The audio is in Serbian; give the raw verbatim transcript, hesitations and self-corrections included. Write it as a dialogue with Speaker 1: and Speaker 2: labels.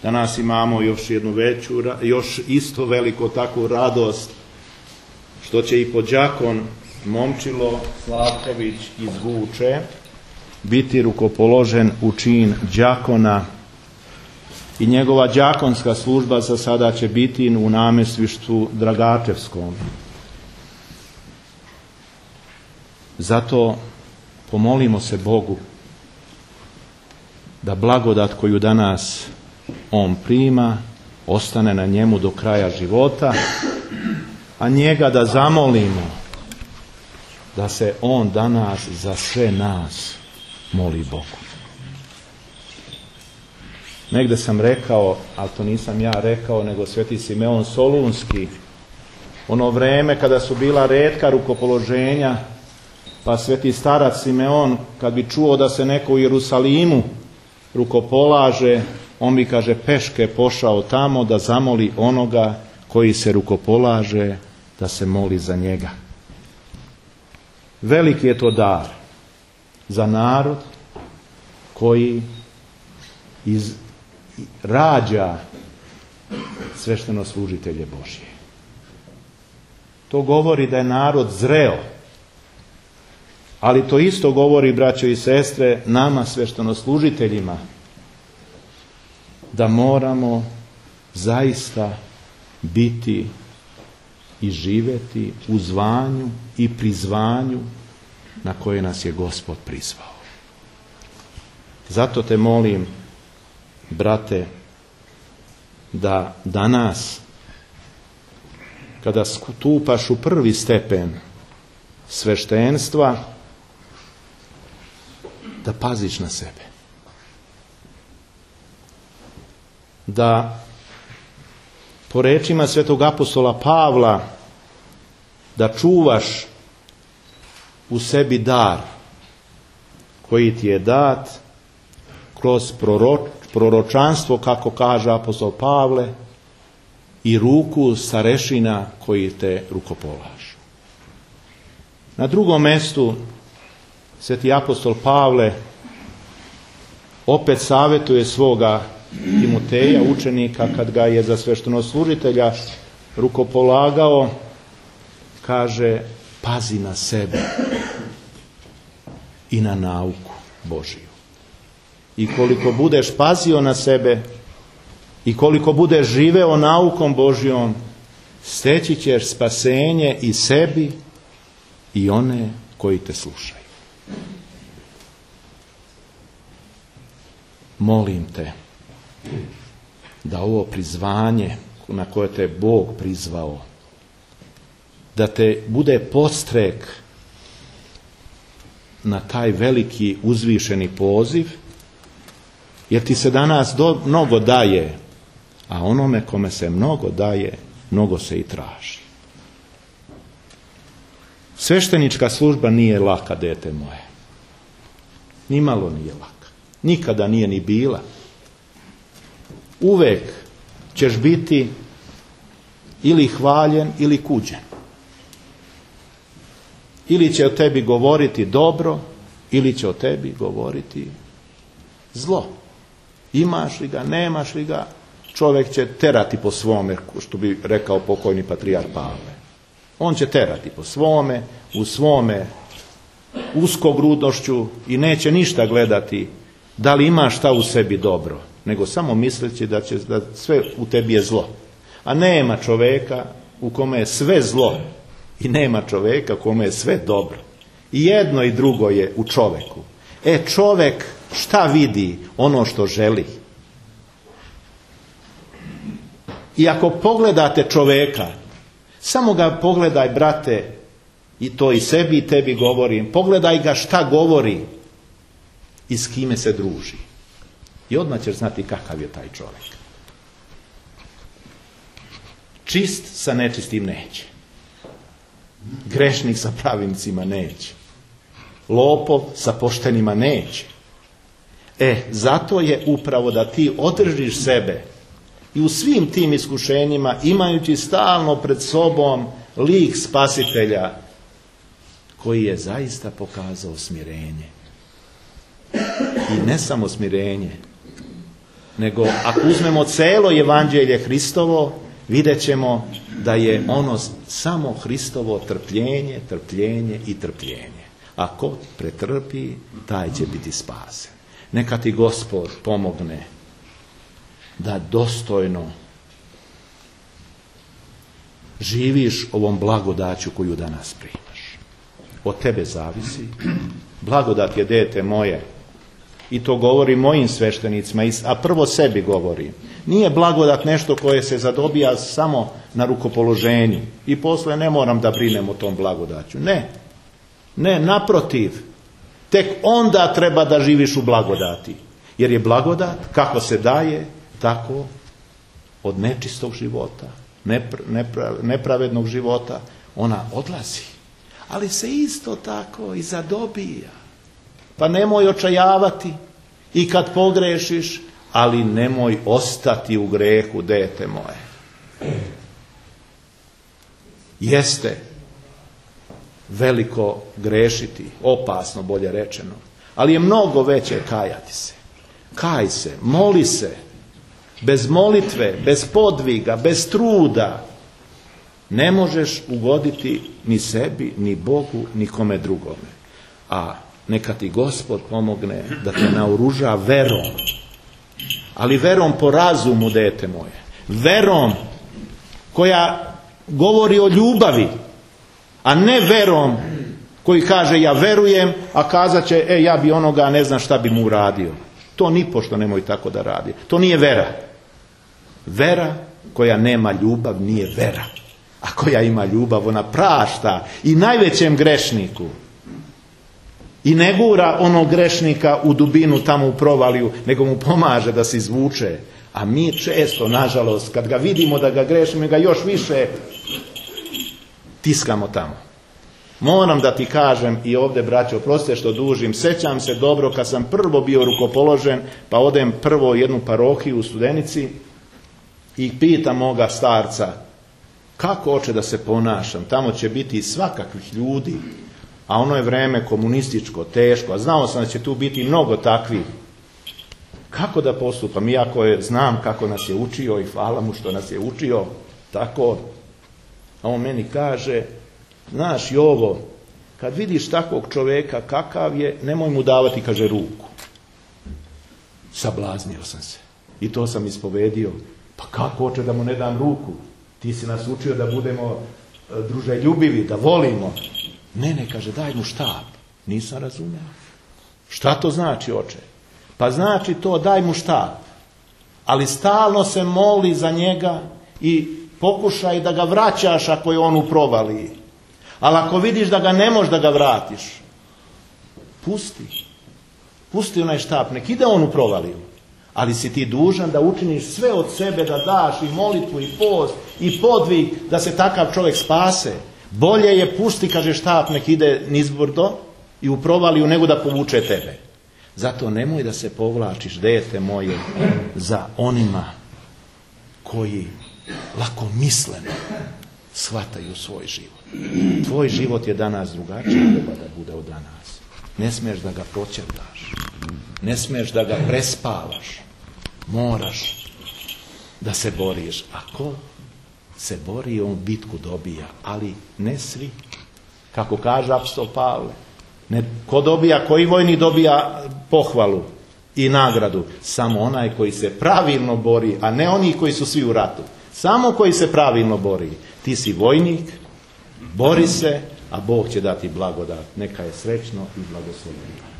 Speaker 1: Danas imamo još jednu veću, još isto veliko takvu radost, što će i podđakon Momčilo Slavković iz Vuče biti rukopoložen u čin đakona i njegova đakonska služba za sada će biti u namjesništvu Dragačevskom. Zato pomolimo se Bogu da blagodat koju danas on prima ostane na njemu do kraja života, a njega da zamolimo da se on danas za sve nas moli Bogu. Negde sam rekao, ali to nisam ja rekao, nego Sveti Simeon Solunski, ono vreme kada su bila retka rukopoloženja, pa Sveti starac Simeon, kad bi čuo da se neko u Jerusalimu rukopolaže, on bi, kaže, peške pošao tamo da zamoli onoga koji se rukopolaže, da se moli za njega. Veliki je to dar za narod koji iz, rađa sveštenoslужitelje Božje. To govori da je narod zreo, ali to isto govori, braćo i sestre, nama sveštenoslужiteljima, da moramo zaista biti i živjeti u zvanju i prizvanju na koje nas je Gospod prizvao. Zato te molim, brate, da danas, kada stupaš u prvi stepen sveštenstva, da paziš na sebe. Da, po rečima svetog apostola Pavla, da čuvaš u sebi dar koji ti je dat kroz proroč, proročanstvo, kako kaže apostol Pavle, i ruku starešina koji te rukopolažu. Na drugom mjestu sveti apostol Pavle opet savjetuje svoga Timoteja, učenika, kad ga je za sveštenoslужitelja rukopolagao, kaže: pazi na sebe i na nauku Božiju. I koliko budeš pazio na sebe i koliko budeš živeo naukom Božjom, steći ćeš spasenje i sebi i one koji te slušaju. Molim te da ovo prizvanje na koje te Bog prizvao, da te bude podstrek na taj veliki uzvišeni poziv, jer ti se danas do, mnogo daje, a onome kome se mnogo daje, mnogo se i traži. Sveštenička služba nije laka, dete moje. Nimalo nije laka. Nikada nije ni bila. Uvek ćeš biti ili hvaljen ili kuđen. Ili će o tebi govoriti dobro, ili će o tebi govoriti zlo. Imaš li ga, nemaš li ga, čovjek će terati po svome, što bi rekao pokojni patrijarh Pavle. On će terati po svome, u svome uskogrudnošću i neće ništa gledati da li ima šta u sebi dobro, nego samo misleći da će da sve u tebi je zlo. A nema čovjeka u kome je sve zlo i nema čovjeka u kome je sve dobro. I jedno i drugo je u čovjeku. E, čovjek šta vidi? Ono što želi. I ako pogledate čovjeka, samo ga pogledaj, brate, i to i sebi i tebi govorim, pogledaj ga šta govori i s kime se druži. I odmah ćeš znati kakav je taj čovjek. Čist sa nečistim neće. Grešnik sa pravincima neće. Lopov sa poštenima neće. E, zato je upravo da ti održiš sebe i u svim tim iskušenjima, imajući stalno pred sobom lik spasitelja koji je zaista pokazao smirenje. I ne samo smirenje, nego ako uzmemo celo evanđelje Hristovo, vidjet ćemo da je ono samo Hristovo trpljenje, trpljenje i trpljenje. Ako pretrpi, taj će biti spasen. Neka ti Gospod pomogne da dostojno živiš ovom blagodaću koju danas primaš. Od tebe zavisi. Blagodat je, dete moje, i to govorim mojim sveštenicima, a prvo sebi govorim. Nije blagodat nešto koje se zadobija samo na rukopoloženju i posle ne moram da brinem o tom blagodaću. Ne, ne, naprotiv. Tek onda treba da živiš u blagodati. Jer je blagodat, kako se daje, tako od nečistog života, nepra, nepra, nepravednog života, ona odlazi. Ali se isto tako i zadobija. Pa nemoj očajavati i kad pogrešiš, ali nemoj ostati u grehu, dete moje. Jeste veliko grešiti, opasno bolje rečeno, ali je mnogo veće kajati se. Kaj se, moli se, bez molitve, bez podviga, bez truda, ne možeš ugoditi ni sebi, ni Bogu, ni kome drugome. A neka ti Gospod pomogne da te naoruža verom. Ali verom po razumu, dete moje. Verom koja govori o ljubavi, a ne verom koji kaže ja verujem, a kazat će e ja bi onoga ne znam šta bi mu uradio. To nipošto nemoj tako da radi. To nije vera. Vera koja nema ljubav nije vera. A koja ima ljubav, ona prašta i najvećem grešniku. I ne gura onog grešnika u dubinu tamo u provaliju, nego mu pomaže da se izvuče. A mi često, nažalost, kad ga vidimo da ga grešimo, ga još više tiskamo tamo. Moram da ti kažem i ovdje, braćo, oprostite što dužim, sećam se dobro kad sam prvo bio rukopoložen, pa odem prvo u jednu parohiju u Studenici i pitam moga starca, kako hoće da se ponašam, tamo će biti svakakvih ljudi, a ono je vreme komunističko, teško, a znao sam da će tu biti mnogo takvih. Kako da postupam, iako je, znam kako nas je učio i hvala mu što nas je učio, tako, a on meni kaže, znaš Jovo, kad vidiš takvog čovjeka kakav je, nemoj mu davati, kaže, ruku. Sablaznio sam se i to sam ispovedio. Pa kako hoće da mu ne dam ruku? Ti si nas učio da budemo druželjubivi, da volimo. Ne, ne, kaže, daj mu štap. Nisam razumio. Šta to znači, oče? Pa znači to, daj mu štap. Ali stalno se moli za njega i pokušaj da ga vraćaš ako je on u provaliji. Ali ako vidiš da ga ne možeš da ga vratiš, pusti. Pusti onaj štap, nek ide on u provaliju. Ali si ti dužan da učiniš sve od sebe, da daš i molitvu i post i podvig da se takav čovjek spase. Bolje je pusti, kaže, štap, nek ide nizbrdo i u provaliju nego da povuče tebe. Zato nemoj da se povlačiš, dete moje, za onima koji lakomisleno shvataju svoj život. Tvoj život je danas drugačiji, treba da bude od danas. Ne smiješ da ga proćerdaš. Ne smiješ da ga prespavaš. Moraš da se boriš. Ako se bori, on bitku dobija. Ali ne svi. Kako kaže apostol Pavle. Ne, ko dobija, koji vojnik dobija pohvalu i nagradu? Samo onaj koji se pravilno bori, a ne oni koji su svi u ratu. Samo koji se pravilno bori. Ti si vojnik, bori se, a Bog će dati blagodat. Neka je srećno i blagosloveno.